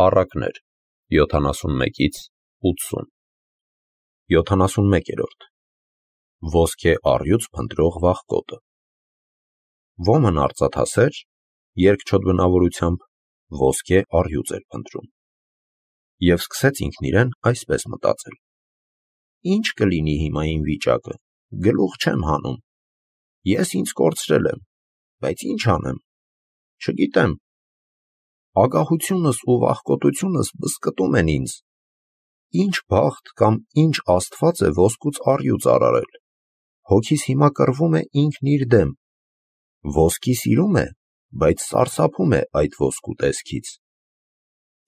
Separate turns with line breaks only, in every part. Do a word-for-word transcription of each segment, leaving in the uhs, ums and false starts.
Առակներ յոթանասունմեկից ութսուն յոթանասունմեկերորդ Ոսկե առյուծ փնտրող վախկոտը Ոմն արծաթասեր երկչոտ բնավորությամբ ոսկե առյուծ էր փնտրում և սկսեց ինքն իրեն այսպես մտածել. Ինչ կլինի հիմա իմ վիճակը, գլուխ չեմ հանում, ես ինձ կորցրել եմ, բայց ինչ անեմ, չգիտեմ, ագահությունս ու վախկոտությունս բզկտում են ինձ, ինչ բախտ կամ ինչ աստված է ոսկուց առյուծ արարել, հոգիս հիմա կռվում է ինքն իր դեմ, ոսկի սիրում է, բայց սարսափում է այդ ոսկու տեսքից,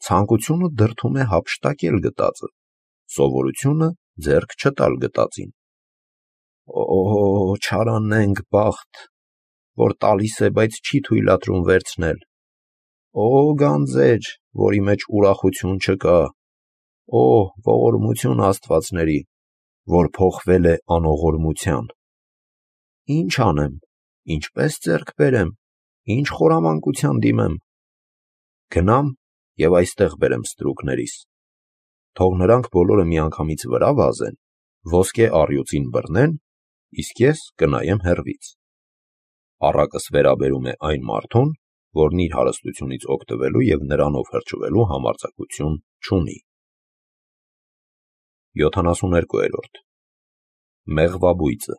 ցանկությունը դրդում է հափշտակել գտածը, սովորությունը ձեռք չտալ գտածին, օ՜օ, չարանենգ բախտ, որ տալիս է, բայց չի թույլատրում վերցնել, օ գանձեր, որի մեջ ուրախություն չկա, օ ողորմություն աստվածների, որ փոխվել է անողորմության, ինչ անեմ, ինչպես ձեռք բերեմ, ինչ խորամանկության դիմեմ, գնամ և այստեղ բերեմ ստրուկներիս, թող նրանք բոլորը միանգամից վրա վազեն, ոսկե առյուծին բռնեն, իսկ ես կնայեմ հեռվից, առակս վերաբերում է այն մարդուն, որն իր հարստությունից օգտվելու և նրանով հրճվելու համարձակություն չունի։ յոթանասուներկուերորդ Մեղվաբույծը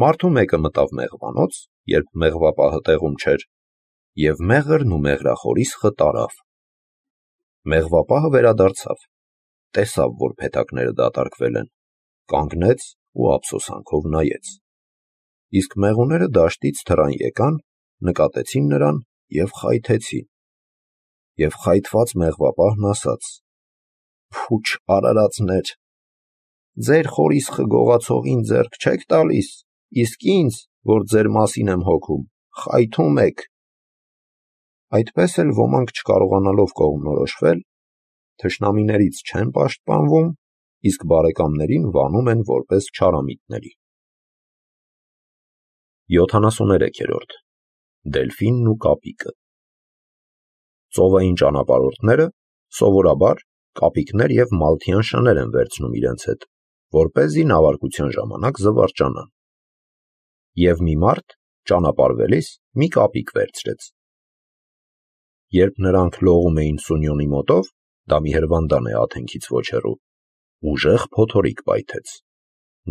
Մարդու մեկը մտավ մեղվանոց, երբ մեղվապահը տեղում չէր, և մեղրն ու մեղրախորիսխը տարավ։ Մեղվապահը վերադարձավ, տեսավ, որ փեթակները դատարկվել են, կանգնեց ու ափսոսանքով նայեց։ Իսկ մեղուները դաշտից թռան եկան, նկատեցին նրան և խայթեցին։ Եվ խայթված մեղվապահն ասաց. Փուչ արարածներ, ձեր խորիսխը գողացողին ձեռք չեք տալիս, իսկ ինձ, որ ձեր մասին եմ հոգում, խայթում եք։ Այդպես էլ ոմանք չկարողանալով կողմնորոշվել, թշնամիներից չեն պաշտպանվում, իսկ բարեկամներին վանում են որպես չարամիտների։ յոթանասուներեքերորդ Դելֆինն ու կապիկը Ծովային ճանապարհորդները սովորաբար կապիկներ և մալթյան շներ են վերցնում իրենց հետ, որպեսզի նավարկության ժամանակ զվարճանան։ Եվ մի մարդ ճանապարհվելիս մի կապիկ վերցրեց։ Երբ նրանք լողում էին Սունյոնի մոտով, դա մի հրվանդան է Աթենքից ոչ հեռու, ուժեղ փոթորիկ պայթեց։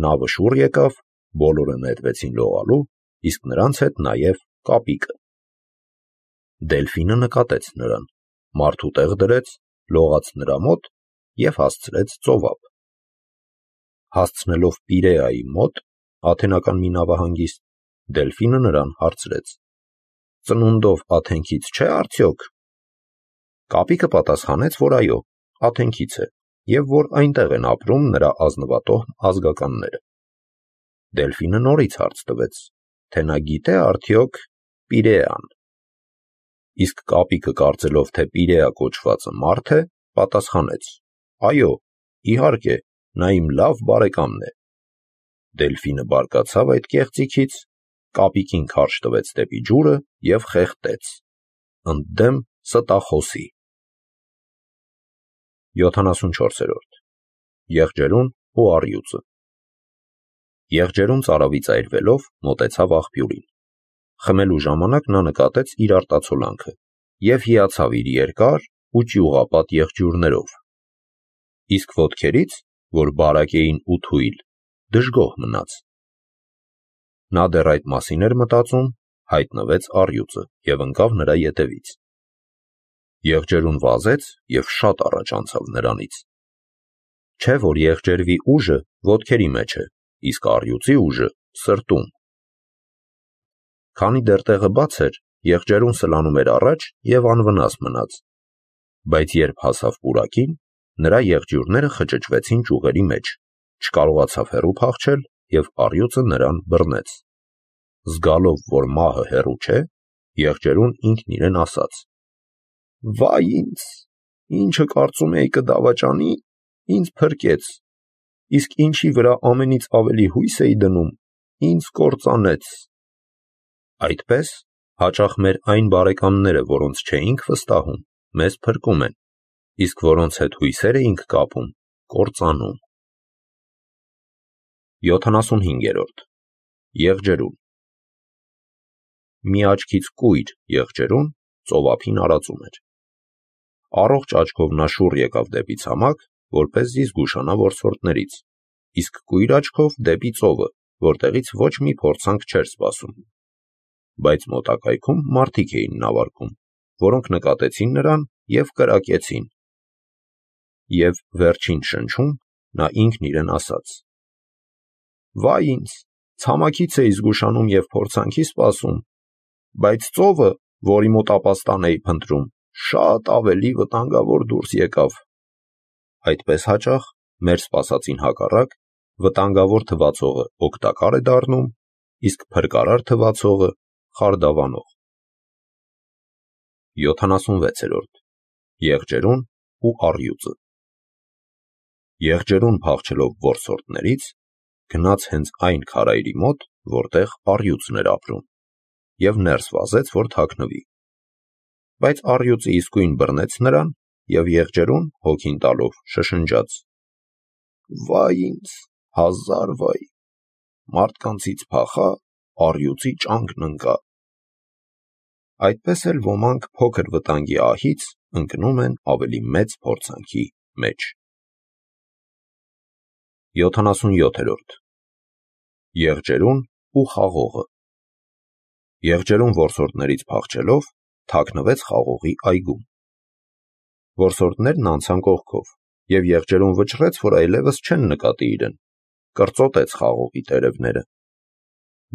Նավը շուռ եկավ, բոլորը նետվեցին լողալու, իսկ նրանց հետ նաև կապիկը։ Դելֆինը նկատեց նրան, մարդու տեղ դրեց, լողաց նրա մոտ և հասցրեց ծովափ։ Հասցնելով Պիրեայի մոտ, աթենական մի նավահանգիստ, Դելֆինը նրան հարցրեց. Ծնունդով Աթենքից չէ՞ արդյոք։ Կապիկը պատասխանեց, որ այո, Աթենքից է, և որ այնտեղ են ապրում նրա ազնվատոհմ ազգականները։ Դելֆինը նորից հարց տվեց, թե նա գիտե արդյոք Պիրեան։ Իսկ կապիկը կարծելով, թե Պիրեա կոչվածը մարդ է, պատասխանեց. Այո, իհարկե, նա իմ լավ բարեկամն է։ Դելֆինը բարկացավ այդ կեղծիքից, կապիկին քարշ տվեց դեպի ջուրը և խեղդեց, ընդդեմ ստախոսի։ յոթանասունչորսերորդ Եղջերուն ու առյուծը Եղջերուն ծարավից այրվելով մոտեցավ աղբյուրին։ Խմելու ժամանակ նա նկատեց իր արտացոլանքը և հիացավ իր երկար ու ճյուղապատ եղջյուրներով։ Իսկ ոտքերից, որ բարակ էին ու թույլ, դժգոհ մնաց։ Նա դեռ այդ մասին էր մտածում, հայտնվեց առյուծը և ընկավ նրա ետևից։ Եղջերուն վազեց և շատ առաջ անցավ նրանից։ Չէ՞ որ եղջերվի ուժը ոտքերի մեջ է, իսկ առյուծի ուժը սրտում։ Քանի դեռ տեղը բաց էր, եղջերուն սլանում էր առաջ և անվնաս մնաց, բայց երբ հասավ պուրակին, նրա եղջյուրները խճճվեցին ճյուղերի մեջ, չկարողացավ հեռու փախչել և առյուծը նրան բռնեց։ Զգալով, որ մահը հեռու չէ, եղջերուն ինքն իրեն ասաց. Վայ ինձ, ինչը կարծում էի կդավաճանի, ինձ փրկեց, իսկ ինչի վրա ամենից ավելի հույս էի դնում, ինձ կործանեց։ Այդպես հաճախ մեր այն բարեկամները, որոնց չէինք վստահում, մեզ փրկում են, իսկ որոնց հետ հույսեր էինք կապում, կործանում։ յոթանասունհինգերորդ. Եղջերուն։ Մի աչքից կույր եղջերուն ծովափին արածում էր։ Առողջ աչքով նա շուռ եկավ դեպի ցամաք, որպեսզի զգուշանա որսորդներից, իսկ կույր աչքով դեպի ծովը, որտեղից ոչ մի փորձանք չէր սպասում։ Բայց մոտակայքում մարդիկ էին նավարկում, որոնք նկատեցին նրան և կրակեցին։ Եվ վերջին շնչում նա ինքն իրեն ասաց. «Վայ ինձ, ցամաքից էի զգուշանում և փորձանքի սպասում, բայց ծովը, որի մոտ ապաստան էի փնտրում, շատ ավելի վտանգավոր դուրս եկավ»։ Այդպես հաճախ մեր սպասածին հակառակ վտանգավոր թվացողը օգտակար է դառնում, իսկ փրկարար թվացողը խարդավանող։ յոթանասունվեցերորդ. Եղջերուն ու առյուծը։ Եղջերուն փախչելով որսորդներից, գնաց հենց այն քարայրի մոտ, որտեղ առյուծն էր ապրում, և ներս վազեց, որ թաքնվի։ Բայց առյուծը իսկույն բռնեց նրան, և եղջերուն հոգին տալով շշնջաց. «Վայ ինձ, հազար վայ, մարդկանցից փախա, առյուծի ճանկն ընկա»։ Այդպես էլ ոմանք փոքր վտանգի ահից ընկնում են ավելի մեծ փորձանքի մեջ։ յոթանասունյոթերորդ. Եղջերուն ու խաղողը։ Եղջերուն որսորդներից փախչելով, թաքնվեց խաղողի այգում։ Որսորդներն անցան կողքով, և եղջերուն վճռեց, որ այլևս չեն նկատի իրեն, կրծոտեց խաղողի տերևները։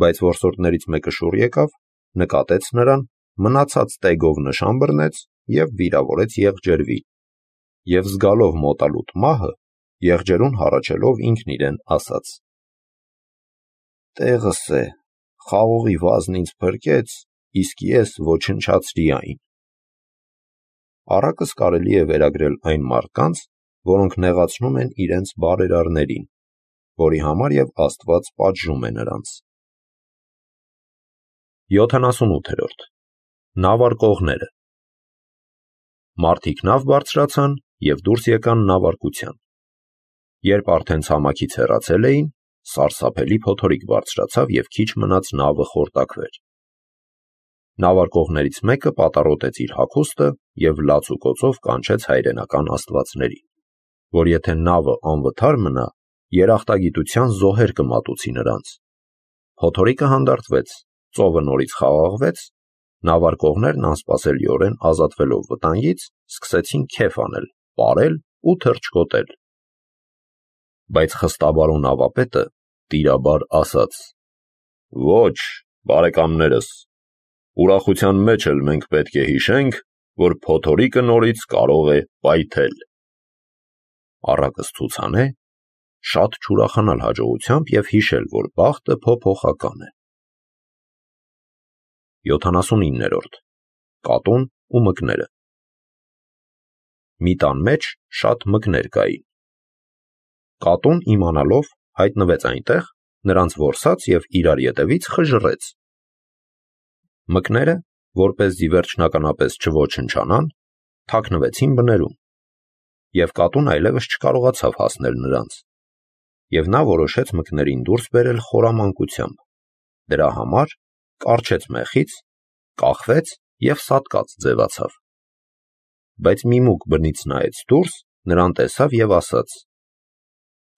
Բայց որսորդներից մեկը շուռ եկավ, նկատեց նրան, մնացած տեգով նշան բռնեց և վիրավորեց եղջերվի։ Եվ զգալով մոտալուտ մահը, եղջերուն հառաչելով ինքն իրեն ասաց. «Տեղս է, խաղողի վազն ինձ փրկեց, իսկ ես ոչնչացրի այն»։ Առակս կարելի է վերագրել այն մարդկանց, որոնք նեղացնում են իրենց բարերարներին, որի համար և Աստված պատժում է նրանց։ յոթանասունութերորդ. Նավարկողները։ Մարդիկ նավ բարձրացան և դուրս եկան նավարկության։ Երբ արդեն ցամաքից հեռացել էին, սարսափելի փոթորիկ բարձրացավ և քիչ մնաց նավը խորտակվեր։ Նավարկողներից մեկը պատառոտեց իր հագուստը և լաց ու կոծով կանչեց հայրենական աստվածներին, որ եթե նավը անվթար մնա, երախտագիտության զոհեր կմատուցի նրանց։ Փոթորիկը հանդարտվեց, ծովը նորից խաղաղվեց, նավարկողներն անսպասելիորեն ազատվելով վտանգից, սկսեցին քեֆ անել, պարել ու թռչկոտել։ Բայց խստաբար ու նավապետը տիրաբար ասաց. «Ոչ, բարեկամներս, ուրախության մեջ էլ մենք պետք է հիշենք, որ փոթորիկը նորից կարող է պայթել»։ Առակը ցուցանե, շատ չուրախանալ հաջողությամբ և հիշել, որ բախտը փոփոխական է։ յոթանասունիններորդ. Կատուն ու մկները։ Մի տան մեջ շատ մկներ կային։ Կատուն, իմանալով, հայտնվեց այնտեղ, նրանց որսաց և իրար ետևից խժռեց։ Մկները, որպեսզի վերջնականապես չոչնչանան, թաքնվեցին բներում, և կատուն այլևս չկարողացավ հասնել նրանց, և նա որոշեց մկներին դուրս բերել խորամանկությամբ։ Դրա համար կառչեց մեխից, կախվեց և սատկած ձևացավ։ Բայց մի մուկ բնից նայեց դուրս, նրան տեսավ և ասաց.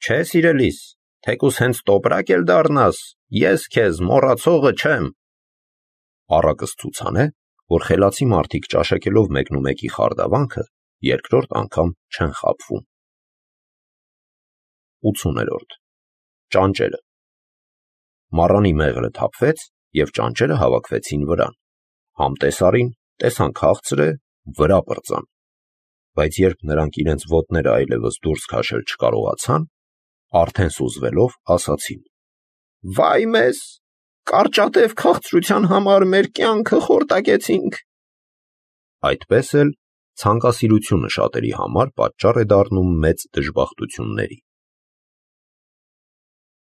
«Չէ, սիրելիս, թեկուզ հենց տոպրակ էլ դառնաս, ես քեզ մոռացողը չեմ»։ Առակս ցուցանե, որ խելացի մարդիկ ճաշակելով մեկնումեկի խարդավանքը, երկրորդ անգամ չեն խաբվում։ ութսուներորդ. Ճանճերը։ Մառանի մեղրը թափվեց, և ճանճերը հավաքվեցին վրան։ Համ տեսարին, տեսան քաղցր է, վրա պրծան։ Բայց երբ նրանք իրենց ոտները այլևս դուրս քաշել չկարողացան, արդեն սուզվելով ասացին. «Վայ մեզ, կարճատև քաղցրության համար մեր կյանքը խորտակեցինք»։ Այդպես էլ ցանկասիրությունը շատերի համար պատճառ է դառնում մեծ դժբախտությունների։